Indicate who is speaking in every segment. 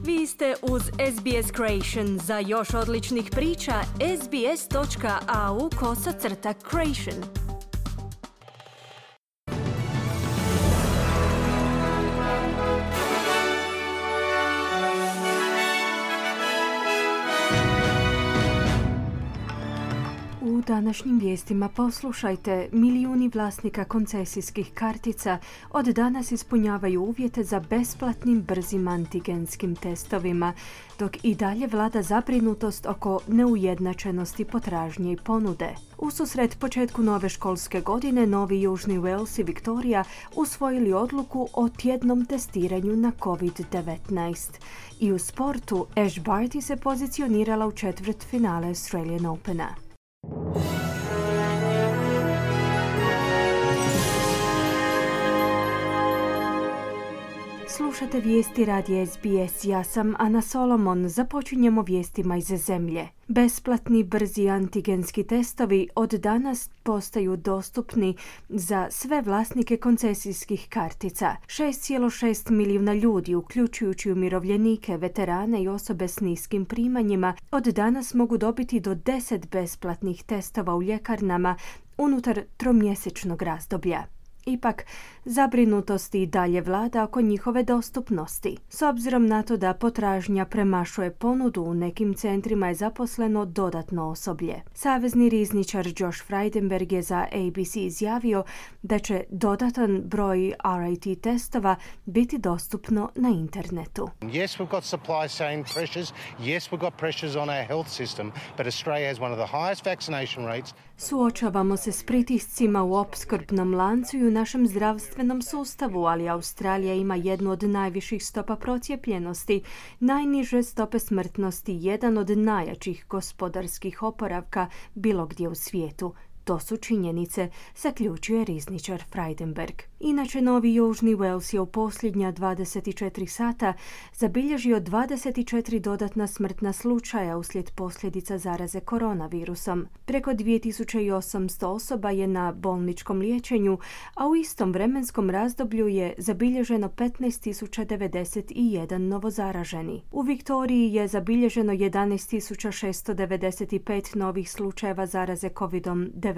Speaker 1: Vi ste uz SBS Creation. Za još odličnih priča, sbs.au/creation. U današnjim vijestima poslušajte, milijuni vlasnika koncesijskih kartica od danas ispunjavaju uvjete za besplatnim brzim antigenskim testovima, dok i dalje vlada zabrinutost oko neujednačenosti potražnje i ponude. Ususret početku nove školske godine, Novi Južni Wales i Viktorija usvojili odluku o tjednom testiranju na COVID-19. I u sportu, Ash Barty se pozicionirala u četvrtfinale Australian Opena. Slušate vijesti radija SBS. Ja sam Ana Solomon. Započinjemo vijestima iz zemlje. Besplatni brzi antigenski testovi od danas postaju dostupni za sve vlasnike koncesijskih kartica. 6,6 milijuna ljudi, uključujući umirovljenike, veterane i osobe s niskim primanjima, od danas mogu dobiti do 10 besplatnih testova u ljekarnama unutar tromjesečnog razdoblja. Ipak, zabrinutosti i dalje vlada oko njihove dostupnosti. S obzirom na to da potražnja premašuje ponudu, u nekim centrima je zaposleno dodatno osoblje. Savezni rizničar Josh Frydenberg je za ABC izjavio da će dodatan broj RAT testova biti dostupno na internetu.
Speaker 2: Yes, we've got supply chain pressures. Yes, we've got pressures on our health system, but Australia has one of the highest vaccination rates.
Speaker 1: Suočavamo se s pritiscima u opskrbnom lancu i u našem zdravstvenom sustavu, ali Australija ima jednu od najviših stopa procijepljenosti, najniže stope smrtnosti, jedan od najjačih gospodarskih oporavka bilo gdje u svijetu. To su činjenice, zaključuje rizničar Frydenberg. Inače, Novi Južni Wales je u posljednja 24 sata zabilježio 24 dodatna smrtna slučaja uslijed posljedica zaraze koronavirusom. Preko 2800 osoba je na bolničkom liječenju, a u istom vremenskom razdoblju je zabilježeno 15.091 novozaraženi. U Viktoriji je zabilježeno 11.695 novih slučajeva zaraze COVID-19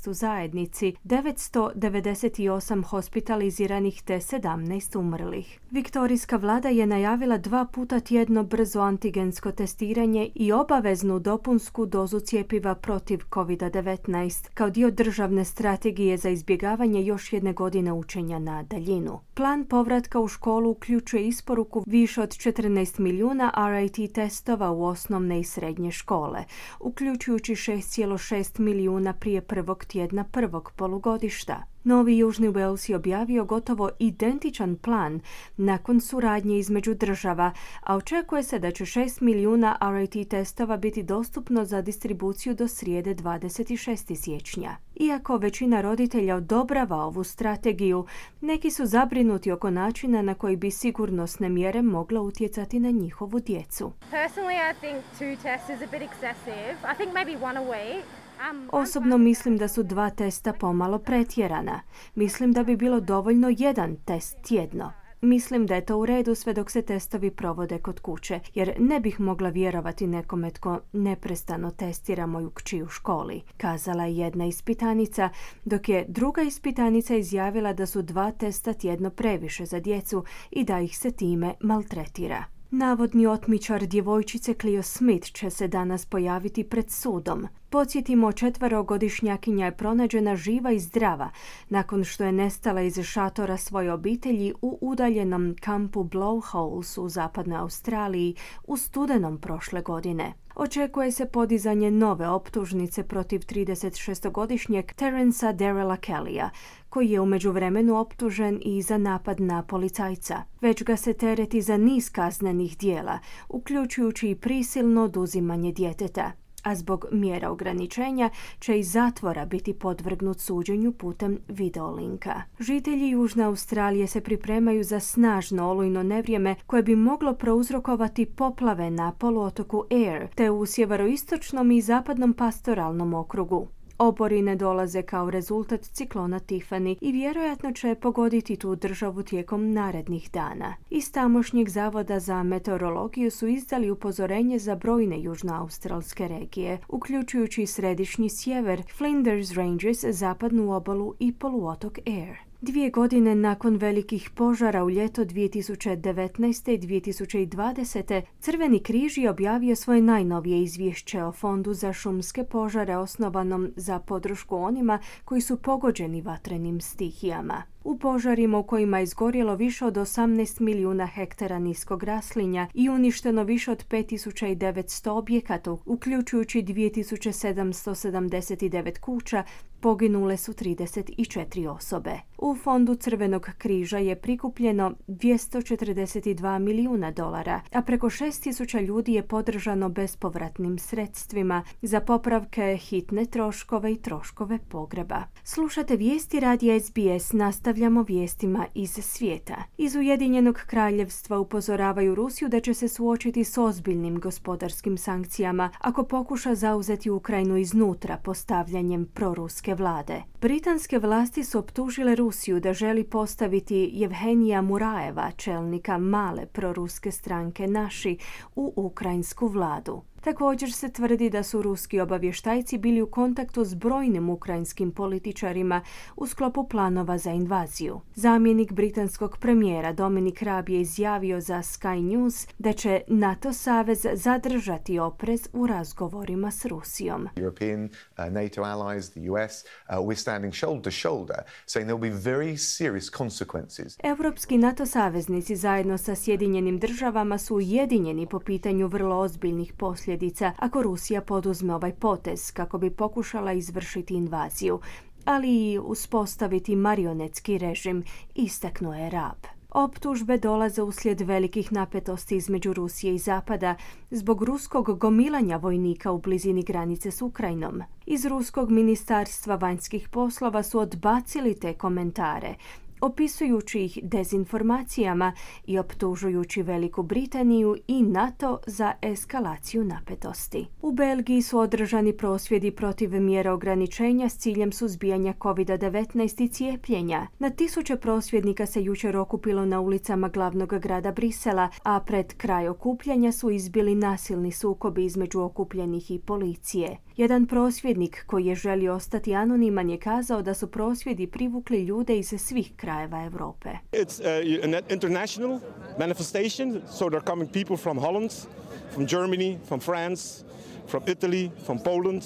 Speaker 1: u zajednici, 998 hospitaliziranih te 17 umrlih. Viktorijska vlada je najavila 2 puta tjedno brzo antigensko testiranje i obaveznu dopunsku dozu cjepiva protiv COVID-19 kao dio državne strategije za izbjegavanje još jedne godine učenja na daljinu. Plan povratka u školu uključuje isporuku više od 14 milijuna RAT testova u osnovne i srednje škole, uključujući 6,6 milijuna prije prvog tjedna prvog polugodišta. Novi Južni Wales je objavio gotovo identičan plan nakon suradnje između država, a očekuje se da će 6 milijuna RAT testova biti dostupno za distribuciju do srijede 26. siječnja. Iako većina roditelja odobrava ovu strategiju, neki su zabrinuti oko načina na koji bi sigurnosne mjere mogle utjecati na njihovu djecu.
Speaker 3: Personally, I think 2 tests is a bit excessive. I think maybe 1 a week.
Speaker 1: Osobno mislim da su 2 testa pomalo pretjerana. Mislim da bi bilo dovoljno 1 test tjedno. Mislim da je to u redu sve dok se testovi provode kod kuće, jer ne bih mogla vjerovati nekome tko neprestano testira moju kći u školi, kazala je jedna ispitanica, dok je druga ispitanica izjavila da su 2 testa tjedno previše za djecu i da ih se time maltretira. Navodni otmičar djevojčice Cleo Smith će se danas pojaviti pred sudom. Podsjetimo, 4-godišnjakinja je pronađena živa i zdrava nakon što je nestala iz šatora svoje obitelji u udaljenom kampu Blowholes u zapadnoj Australiji u studenom prošle godine. Očekuje se podizanje nove optužnice protiv 36-godišnjeg Terensa Darrella Kellya, koji je u međuvremenu optužen i za napad na policajca. Već ga se tereti za niz kaznenih djela, uključujući i prisilno oduzimanje djeteta. A zbog mjera ograničenja će iz zatvora biti podvrgnut suđenju putem videolinka. Žitelji Južne Australije se pripremaju za snažno olujno nevrijeme koje bi moglo prouzrokovati poplave na poluotoku Eyre te u sjeveroistočnom i zapadnom pastoralnom okrugu. Oborine dolaze kao rezultat ciklona Tiffany i vjerojatno će pogoditi tu državu tijekom narednih dana. Iz tamošnjeg zavoda za meteorologiju su izdali upozorenje za brojne južnoaustralske regije, uključujući središnji sjever, Flinders Ranges, zapadnu obalu i poluotok Eyre. 2 godine nakon velikih požara u ljeto 2019. i 2020. Crveni križ je objavio svoje najnovije izvješće o Fondu za šumske požare osnovanom za podršku onima koji su pogođeni vatrenim stihijama. U požarima u kojima je izgorjelo više od 18 milijuna hektara niskog raslinja i uništeno više od 5900 objekata, uključujući 2779 kuća, poginule su 34 osobe. U Fondu Crvenog križa je prikupljeno $242 milijuna, a preko 6000 ljudi je podržano bespovratnim sredstvima za popravke, hitne troškove i troškove pogreba. Slušate vijesti radija SBS, nastavljamo vijestima iz svijeta. Iz Ujedinjenog kraljevstva upozoravaju Rusiju da će se suočiti s ozbiljnim gospodarskim sankcijama ako pokuša zauzeti Ukrajinu iznutra postavljanjem proruske vlade. Britanske vlasti su optužile Rusiju da želi postaviti Jevhenija Murajeva, čelnika male proruske stranke Naši, u ukrajinsku vladu. Također se tvrdi da su ruski obavještajci bili u kontaktu s brojnim ukrajinskim političarima u sklopu planova za invaziju. Zamjenik britanskog premijera Dominic Raab je izjavio za Sky News da će NATO savez zadržati oprez u razgovorima s Rusijom.
Speaker 4: European, NATO allies, the US, we're standing shoulder to shoulder, saying there will be very serious consequences.
Speaker 1: Europski NATO saveznici zajedno sa Sjedinjenim državama su ujedinjeni po pitanju vrlo ozbiljnih posljedica ako Rusija poduzme ovaj potez kako bi pokušala izvršiti invaziju, ali i uspostaviti marionetski režim, istaknuo je Raab. Optužbe dolaze uslijed velikih napetosti između Rusije i Zapada zbog ruskog gomilanja vojnika u blizini granice s Ukrajinom. Iz ruskog ministarstva vanjskih poslova su odbacili te komentare, opisujući ih dezinformacijama i optužujući Veliku Britaniju i NATO za eskalaciju napetosti. U Belgiji su održani prosvjedi protiv mjera ograničenja s ciljem suzbijanja COVID-19 i cijepljenja. Na tisuće prosvjednika se jučer okupilo na ulicama glavnog grada Brisela, a pred kraj okupljanja su izbili nasilni sukobi između okupljenih i policije. Jedan prosvjednik koji je želio ostati anoniman je kazao da su prosvjedi privukli ljude iz svih krajeva Europe.
Speaker 5: It's an international manifestation, so there are coming people from Holland, from Germany, from France, from Italy, from Poland.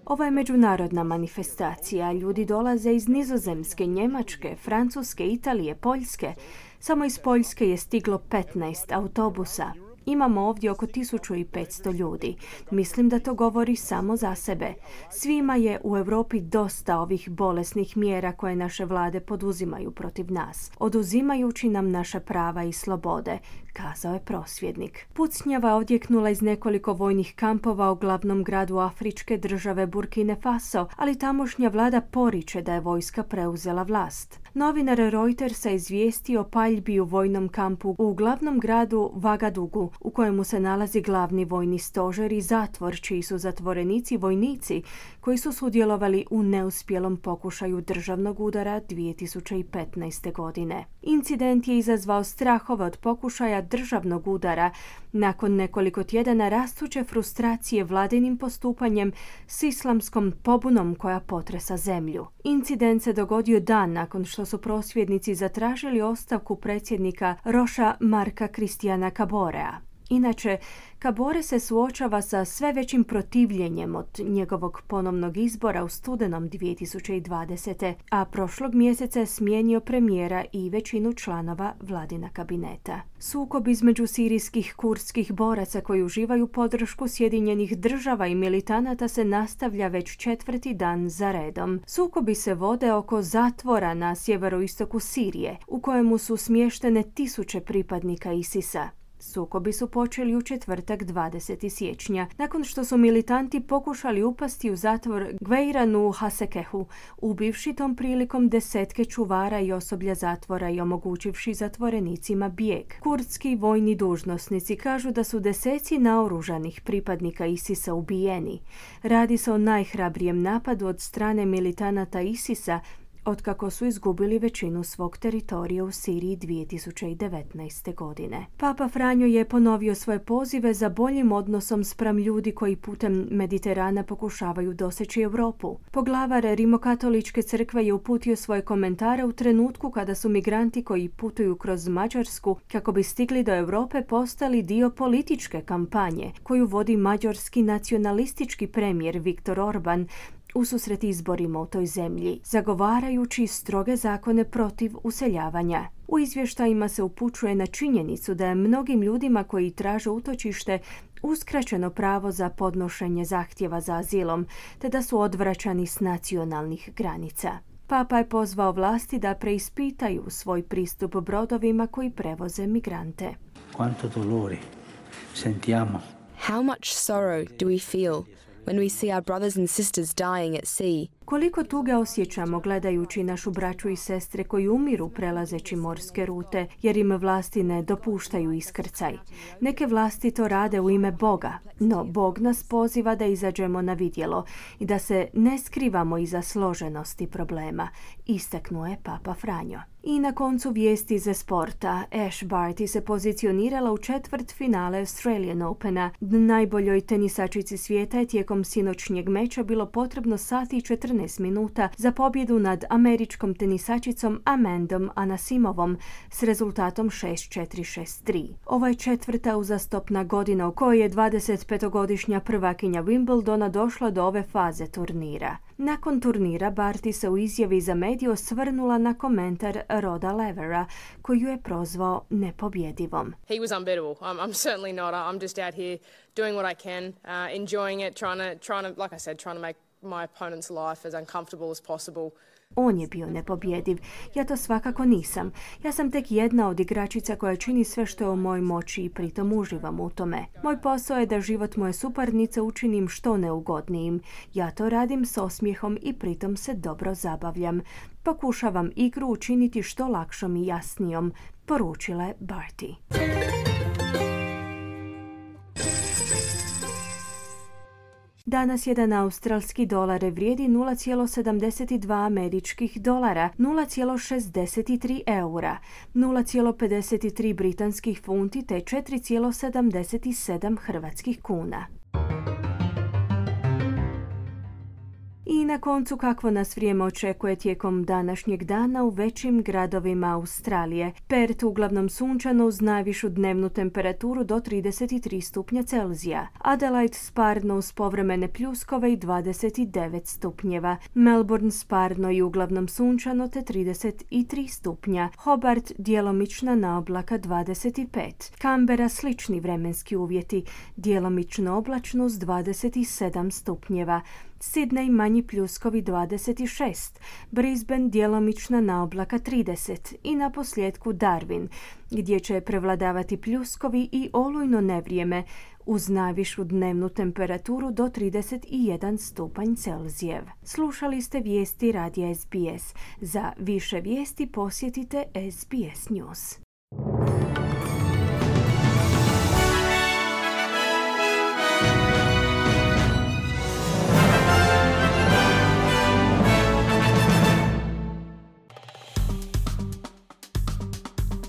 Speaker 1: Ovo je međunarodna manifestacija. Ljudi dolaze iz Nizozemske, Njemačke, Francuske, Italije, Poljske. Samo iz Poljske je stiglo 15 autobusa. Imamo ovdje oko 1500 ljudi. Mislim da to govori samo za sebe. Svima je u Europi dosta ovih bolesnih mjera koje naše vlade poduzimaju protiv nas, oduzimajući nam naše prava i slobode, kazao je prosvjednik. Pucnjava je odjeknula iz nekoliko vojnih kampova u glavnom gradu afričke države Burkine Faso, ali tamošnja vlada poriče da je vojska preuzela vlast. Novinar Reutersa izvijestio o paljbi u vojnom kampu u glavnom gradu Vagadugu, u kojemu se nalazi glavni vojni stožer i zatvor, čiji su zatvorenici vojnici koji su sudjelovali u neuspjelom pokušaju državnog udara 2015. godine. Incident je izazvao strahove od pokušaja državnog udara nakon nekoliko tjedana rastuće frustracije vladinim postupanjem s islamskom pobunom koja potresa zemlju. Incident se dogodio dan nakon što su prosvjednici zatražili ostavku predsjednika Roša Marka Kristijana Kaborea. Inače, Kabore se suočava sa sve većim protivljenjem od njegovog ponovnog izbora u studenom 2020. a prošlog mjeseca je smijenio premijera i većinu članova vladina kabineta. Sukob između sirijskih kurdskih boraca koji uživaju podršku Sjedinjenih država i militanata se nastavlja već 4. dan za redom. Sukobi se vode oko zatvora na sjeveroistoku Sirije, u kojemu su smještene tisuće pripadnika ISIS-a. Sukobi su počeli u četvrtak 20. siječnja, nakon što su militanti pokušali upasti u zatvor Gveiranu u Hasekehu, ubivši tom prilikom desetke čuvara i osoblja zatvora i omogućivši zatvorenicima bijeg. Kurdski vojni dužnosnici kažu da su deseci naoružanih pripadnika ISIS-a ubijeni. Radi se o najhrabrijem napadu od strane militanata ISIS-a otkako su izgubili većinu svog teritorija u Siriji 2019. godine. Papa Franjo je ponovio svoje pozive za boljim odnosom spram ljudi koji putem Mediterana pokušavaju doseći Europu. Poglavar Rimokatoličke crkve je uputio svoje komentare u trenutku kada su migranti koji putuju kroz Mađarsku kako bi stigli do Europe postali dio političke kampanje koju vodi mađarski nacionalistički premijer Viktor Orban ususret izborima u toj zemlji, zagovarajući stroge zakone protiv useljavanja. U izvještajima se upućuje na činjenicu da je mnogim ljudima koji traže utočište uskraćeno pravo za podnošenje zahtjeva za azilom, te da su odvraćani s nacionalnih granica. Papa je pozvao vlasti da preispitaju svoj pristup brodovima koji prevoze migrante.
Speaker 6: Quanto dolore sentiamo.
Speaker 7: How much sorrow do we feel when we see our brothers and sisters dying at sea?
Speaker 1: Koliko tuge osjećamo gledajući našu braću i sestre koji umiru prelazeći morske rute jer im vlasti ne dopuštaju iskrcaj. Neke vlasti to rade u ime Boga, no Bog nas poziva da izađemo na vidjelo i da se ne skrivamo iza složenosti problema, istaknuo je Papa Franjo. I na koncu vijesti za sporta. Ash Barty se pozicionirala u četvrtfinale Australian Opena. Najboljoj tenisačici svijeta je tijekom sinoćnjeg meča bilo potrebno sati i 14 minuta za pobjedu nad američkom tenisačicom Amandom Anasimovom s rezultatom 6-4-6-3. Ovo je četvrta uzastopna godina u kojoj je 25-godišnja prvakinja Wimbledona došla do ove faze turnira. Nakon turnira Barty se u izjavi za medije osvrnula na komentar Roda Levera, koju je prozvao nepobjedivom.
Speaker 8: He was unbeatable. I'm certainly not. I'm just out here doing what I can, enjoying it, trying to, like I said, trying to make my opponent's life as uncomfortable as possible.
Speaker 1: On je bio nepobjediv. Ja to svakako nisam. Ja sam tek jedna od igračica koja čini sve što je u mojoj moći i pritom uživam u tome. Moj posao je da život moje suparnice učinim što neugodnijim. Ja to radim s osmijehom i pritom se dobro zabavljam. Pokušavam igru učiniti što lakšom i jasnijom, poručila je Barty. Danas jedan australski dolar vrijedi 0,72 američkih dolara, 0,63 eura, 0,53 britanskih funti te 4,77 hrvatskih kuna. I na koncu kakvo nas vrijeme očekuje tijekom današnjeg dana u većim gradovima Australije. Perth uglavnom sunčano uz najvišu dnevnu temperaturu do 33 stupnja Celzija. Adelaide sparno uz povremene pljuskove i 29 stupnjeva. Melbourne sparno i uglavnom sunčano te 33 stupnja. Hobart djelomična naoblaka 25. Canberra slični vremenski uvjeti, djelomično oblačno uz 27 stupnjeva. Sydney manji pljuskovi 26, Brisbane djelomična naoblaka 30 i na posljedku Darwin, gdje će prevladavati pljuskovi i olujno nevrijeme uz najvišu dnevnu temperaturu do 31 stupanj Celzijev. Slušali ste vijesti radija SBS. Za više vijesti posjetite SBS News.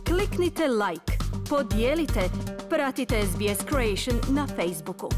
Speaker 1: Kliknite like, podijelite, pratite SBS Creation na Facebooku.